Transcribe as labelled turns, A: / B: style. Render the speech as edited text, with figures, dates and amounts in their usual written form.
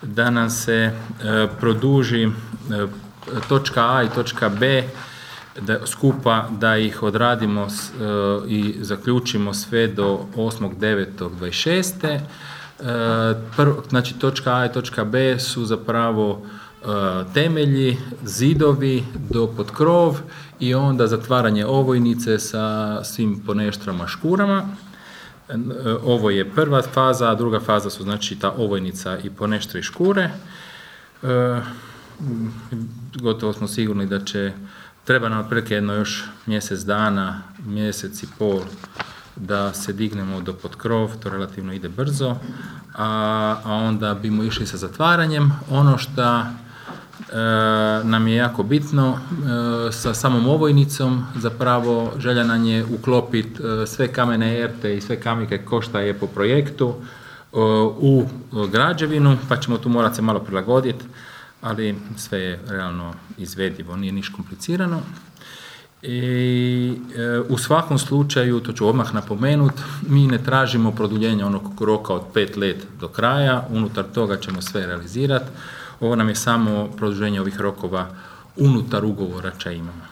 A: da nam se produži točka A i točka B skupa, da ih odradimo i zaključimo sve do 8.9.26. Znači točka A i točka B su zapravo temelji, zidovi do pod krov i onda zatvaranje ovojnice sa svim poneštrama, škurama. Ovo je prva faza, a druga faza su znači ta ovojnica i poneštre i škure. Gotovo smo sigurni da treba nam otprilike jedno još mjesec dana, mjesec i pol da se dignemo do pod krov, to relativno ide brzo, a onda bimo išli sa zatvaranjem. Ono što nam je jako bitno, sa samom ovojnicom zapravo želja nam je uklopiti sve kamene erte i sve kamike ko šta je po projektu u građevinu, pa ćemo tu morati se malo prilagoditi, ali sve je realno izvedivo, nije ništa komplicirano. I u svakom slučaju, to ću odmah napomenuti, mi ne tražimo produljenje onog roka od 5 let do kraja, unutar toga ćemo sve realizirati. Ovo nam je samo produženje ovih rokova unutar ugovora ča imamo.